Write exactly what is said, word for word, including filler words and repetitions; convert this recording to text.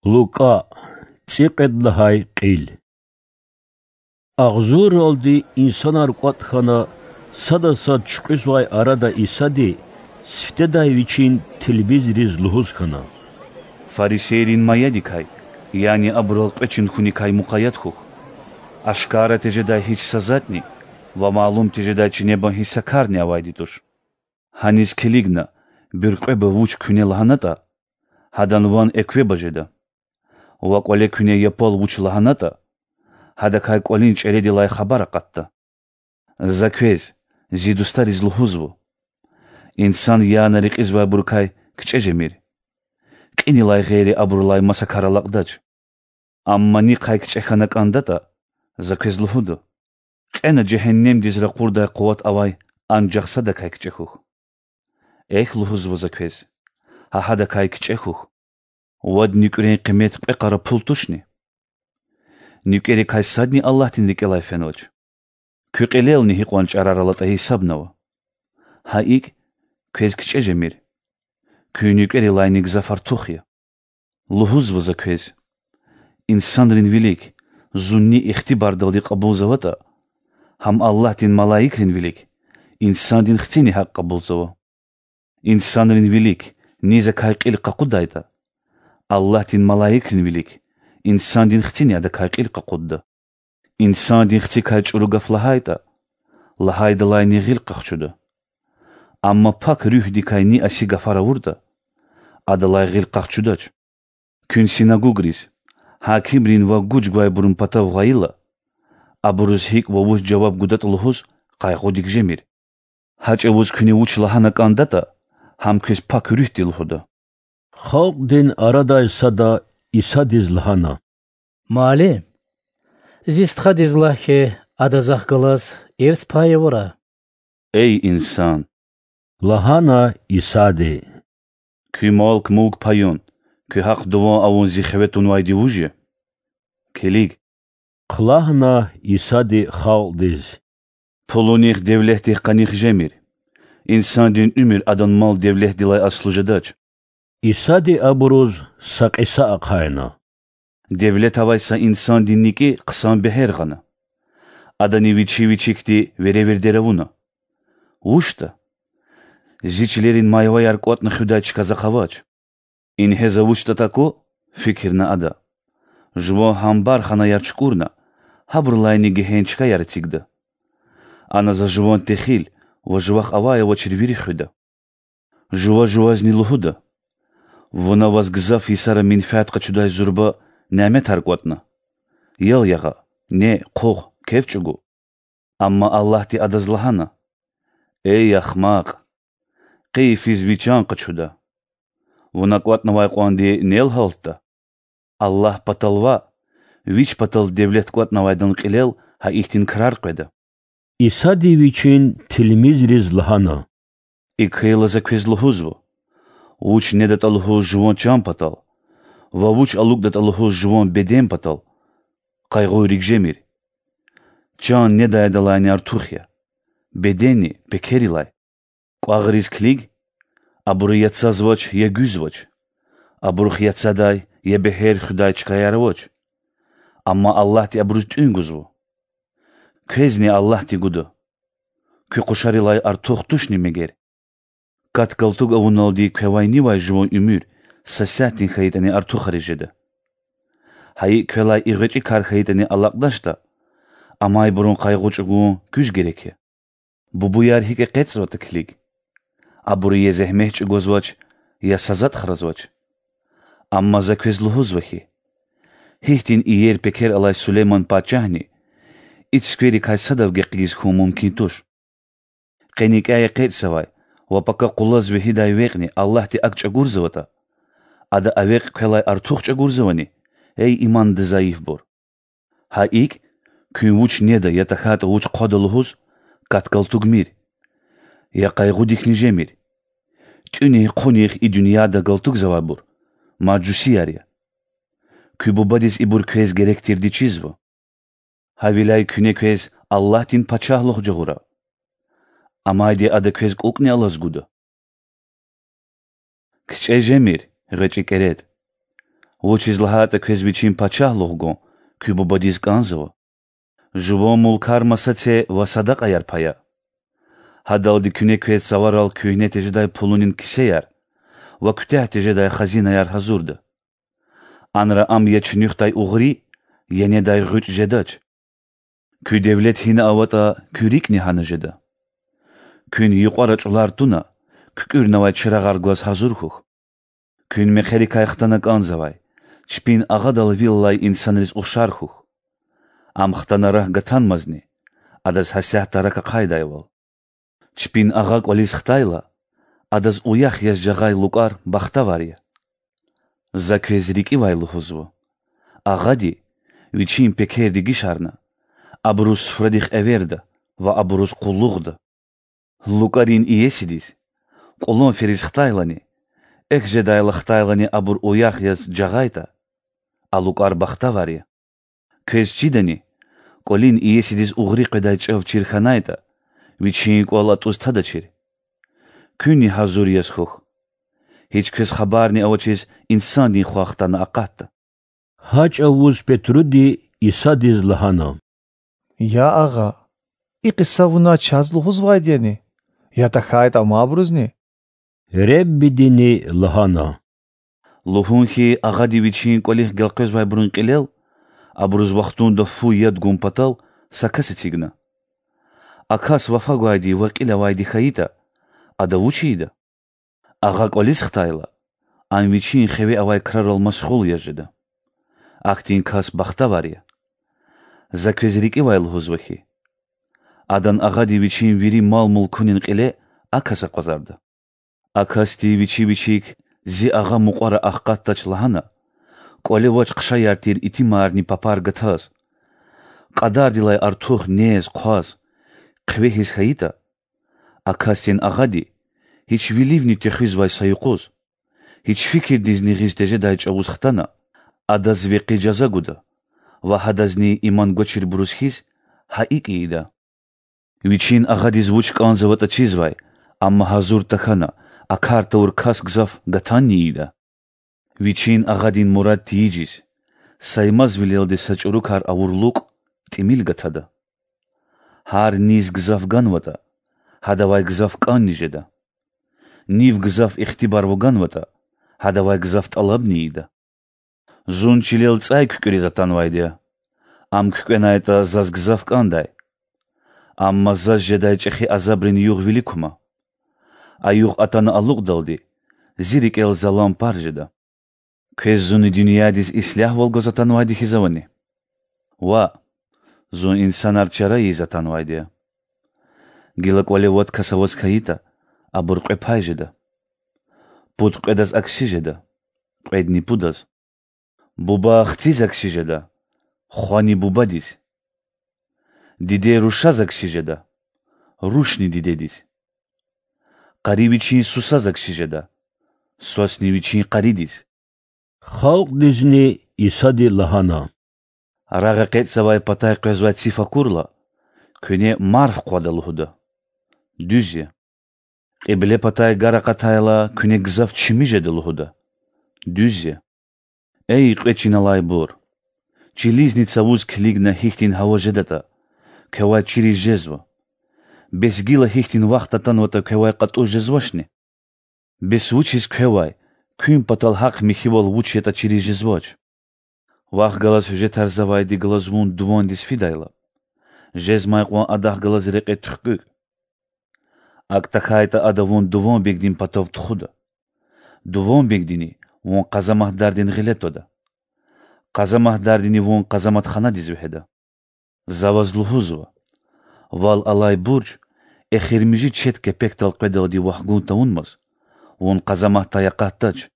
Лукӏа, цӏикьвед лагьай кьил. Агъзурралди инсанар кӏватӏ хьана, сада сад чуькьуьзвай арада Исади сифтедай Вичин тилмизриз лугьуз хьана: Фарисейрин маядикай, яни абурал кьве чин хьуникай мукъаят хьухь. Ашкара тежедай гьич са затӏни ва малум тежедай чинебан гьич са карни авайди туш. Гьаниз килигна, буьркьвеба вуч куьне лагьанатӏа, гьадан ван эквеба жеда. Ва кӏвале куьне япал вуч лагьанатӏа, гьадакай кӏвалин чӏередилай хабар акъатда. За квез, зи дустариз лугьузва: инсан яна рекьизвайбурукай кичӏе жемир. Кьинилай гъейри абурулай маса кар алакьдач. Амма нихъай кичӏе хьана кӏандатӏа, за квез лугьуда: кьена жегьеннемдиз ракъурдай къуват авай анжах садакай кичӏе хьухь. Эхь, лугьузва за квез, гьа гьадакай кичӏе хьухь. Вад нуькӏрен къимет кьве къара пул тушни? Нуькӏерикай садни Аллагьдин рикӏелай фенвач. Куь кьилелни гьикьван чӏарар алатӏа гьисабнава. Гьа икӏ, квез кичӏе жемир, куь нуькӏерилайни гзаф артух я. Лугьузва за квез: инсанрин вилик зунни ихтибардалди кьабулзаватӏа, гьам Аллагьдин малаикрин вилик Инсандин Хцини гьакӏ кьабулзава. Инсанрин вилик ни закай кьил къакъудайтӏа, Аллагьдин малаикрин вилик Инсандин Хцини адакай кьил къакъудда. Инсандин Хцикай чӏуру гаф лагьайтӏа, лагьайдалайни гъил къахчуда. Амма Пак Руьгьдикай ни аси гафар авуртӏа, адалай гъил къахчудач. Куьн синагугриз, гьакимрин ва гуж гвайбурун патав гъайила, абуруз гьикӏ ва вуч жаваб гудатӏа лугьуз къайгъудик жемир. Гьа чӏавуз куьне вуч лагьана кӏандатӏа, гьам квез Пак Руьгьди лугьуда. Халкьдин арадай сада Исадиз лагьана: Муаллим, зи стхадиз лагь хьи, ада захъ галаз ирс пай авурай. Эй инсан! Лагьана Исади: Куь малк-мулк паюн, куь гьахъ-дуван авун зи хиве тунвайди вуж я? Килиг,— хълагьна Исади халкьдиз,— пулунихъ, девлетдихъ къаних жемир. Инсандин уьмуьр адан мал-девлетдилай аслу жедач. Исади абуруз са кьиса ахъайна: Девлет авай са инсандин никӏи хъсан бегьер гъана. Адани вичи-вичикди веревирдер авуна: Вучда? Зи чилерин майваяр кӏватӏна хуьдай чка захъ авач. Ингье за вучда такӏу? фикирна ада. Жуван гьамбарханаяр чукӏурна, гьабурулайни гегьен чкаяр эцигда. Ана за жуван техил ва жувахъ авай-авачир вири хуьда. Жува жувазни лугьуда: Вуна ваз гзаф йисара менфят къачудай зурба няметар кӏватӏна: ял ягъа, не, хъугъ, кеф чӏугу. Амма Аллагьди адаз лагьана: Эй ахмакь! Къе йифиз ви чан къачуда. Вуна кӏватӏнавай кьванди нел гьалтда? Аллагь патал ваъ, вич патал девлет кӏватӏнавайдан кьилел гьа ихьтин крар къведа. Исади Вичин тилмизриз лагьана: Икӏ хьайила, за квез лугьузва: вуч недатӏа лугьуз жуван чан патал ва вуч алукӏдатӏа лугьуз жуван беден патал къайгъуйрик жемир. Чан недайдалайни артух я, беденни— пекерилай. Кӏвагъриз килиг: абуру я цазвач, я гуьзвач, абурухъ я цадай, я бегьер хуьдай чкаяр авач. Амма Аллагьди абуруз тӏуьн гузва. Квезни Аллагьди гуда. Куь къушарилай артух тушни мегер? Кат-галтуг авуналди квевай нивай жуван уьмуьр са сятдин хьайитӏани артухариз жеда. Гьа икӏ, квелай и гъвечӏи кар хьайитӏани алакьдачтӏа, амайбурун къайгъу чӏугун куьз герек я? Бубуяр гьикӏ экъечӏзаватӏа килиг: абуру я зегьмет чӏугвазвач, я са затӏ хразвач. Амма за квез лугьузва хьи, гьихьтин иер пекер алай Сулейман пачагьни и цуькверикай садав гекъигиз хьун мумкин туш. Къе никӏяй экъечӏзавай ва пака къулаз вегьидай векьни Аллагьди акӏ чӏагурзаватӏа, Ада а векь квелай артух чӏагурзавани, эй иманда зайифбур? Гьа икӏ, куьн вуч неда я тахьайтӏа вуч хъвада лугьуз кат-галтугмир, я къайгъудикни жемир. Тӏуьнихъ-хъунихъ и дуьньяда галтугзавайбур мажусияр я. Куь Бубадиз ибур квез герек тирди чизва. Гьавиляй куьне квез Аллагьдин Пачагьлугъ жагъура. Амайди Ада квез кӏукӏни алаз гуда. КичӀе жемир, гъвечӀи кӀеретӀ. Вучиз лагьайтӀа квез вичин пачагьлугъ гун куь бубадиз кӀанзава. Жуван мулкар маса це ва садакьаяр пая. Гьадалди куьне квез цаварал куьгьне тежедай пулунин кисеяр ва куьтягь тежедай хазинаяр гьазурда. Анра ам я чуьнуьхдай угъри, я недай гъуьч жедач. Куь девлет гьина аватӀа, куь рикӀни гьана жеда. Куьн юкьвара чӀулар туна, куькӀуьрнавай чирагъар гваз гьазур хьухь. Куьн мехъерикай хтана кӀанзавай, чпин агъадал вил алай инсанриз ухшар хьухь. Ам хтана рак гатанмазни, адаз гьасятда рак ахъайдайвал. Чпин агъа кӀвализ хтайла, адаз уях яз жагъай лукӀар бахтавар я. За квез рикӀивай лугьузва: агъади, вичин пекер дегишарна, абуруз суфрадихъ эверда ва абуруз къуллугъда. ЛукӀарин иесидиз, кьулан фериз хтайлани, экв жедайла хтайлани абур уях яз жагъайтӀа, а лукӀар бахтавар я. Квез чидани, кӀвалин иесидиз угъри къведай чӀав чир хьанайтӀа, вичин кӀвал атӀуз тадачир. Куьнни гьазур яз хьухь. Гьич квез хабарни авачиз инсандин Хва хтана акъатда. Гьа чӀавуз Петруди Исадиз лагьана: Я Агъа, и кьиса Вуна чаз лугьузвайди яни, я тахьайтӀа амайбурузни? Реббидини лагьана: Лугьун хьи, агъади вичин кӀвалихъ гелкъвезвайбурун кьилел, абуруз вахтунда фу яд гун патал, са кас эцигна. А кас вафа гвайди ва кьил авайди хьайитӀа, ада вуч ийида? Агъа кӀвализ хтайла, ам вичин хиве авай крарал машгъул яз жеда. Ахьтин кас бахтавар я. За квез рикӀивай лугьузва хьи, адан агъади вичин вири мал-мулкунин кьиле а кас акъвазарда. А касди вичи вичик: Зи агъа мукьвара ахкъатдач,– лагьана, кӀвале авач хъшаяр тир итимарни папар гатаз, кьадардилай артух нез-хъваз, хъве гьиз хьайитӀа, а касдин агъади, гьич виливни техуьзвай са юкъуз, гьич фикирдизни гъиз тежедай чӀавуз хтана, адаз векъи жаза гуда ва гьадазни иман гвачирбуруз хьиз гьа икӀ ийида. Вичин агъадиз вуч кӀанзаватӀа чизвай, амма гьазур тахьана, а кар тавур кас гзаф гатанни ийида. Вичин агъадин мурад тийижиз, Саймазвилелди са чӀурукар авур лукӀ, тӀимил гатада. Гьар низ гзаф ганватӀа, гьадавай гзаф кӀанни жеда. Нив гзаф ихтибар вуганватӀа, гьадавай гзаф тӀалабни ийида. Зун чилел цӀай куькӀуьриз атанвайди я. Ам куькӀвенайтӀа, заз гзаф кӀандай. Амма заз жедай чӀехи азабрин югъ вилик кума. А югъ атана алукьдалди, зи рикӀел залан пар жеда. Квез зун и дуьньядиз ислягьвал гваз атанвайди хьиз авани? Ваъ, зун инсанар чара ийиз атанвайди я. Гила кӀвале вад кас аваз хьайитӀа, абур кьве пай жеда. Пуд кьведаз акси жеда, кьведни пудаз. Буба хциз акси жеда, хвани бубадиз. Диде рушаз акси жеда, рушни дидедиз. Къари вичин сусаз акси жеда, свасни вичин къаридиз. Халкьдизни Исади лагьана: Рагъ экъечӀзавай патай къвезвай циф акурла, куьне марф хъвада лугьуда. Дуьз я. Кьибле патай гар акъатайла, куьне гзаф чими жеда лугьуда. Дуьз я. Эй кьве чин алайбур! Чилизни цавуз килигна гьихьтин гьава жедатӀа, квевай чириз жезва. Бес гила гьихьтин вахт атанватӀа, квевай кьатӀуз жезвачни? Бес вучиз квевай, куьн патал гьахъ михьивал вуч ятӀа чириз жезвач? Вахъ галаз гьуьжетарзавайди галаз вун дувандиз фидайла, жезмай кьван адахъ галаз рекье туьхкӀуьк. АкӀ тахьайтӀа, ада вун дуванбегдин патав тухуда. Дуванбегдини вун къазаматдардин гъиле твада. Къазаматдардини вун къазаматханадиз вегьеда. За ваз лугьузва: вал алай бурж эхиримжи четь кепекдал къведалди вахгун тавунмаз, вун къазаматдай акъатдач.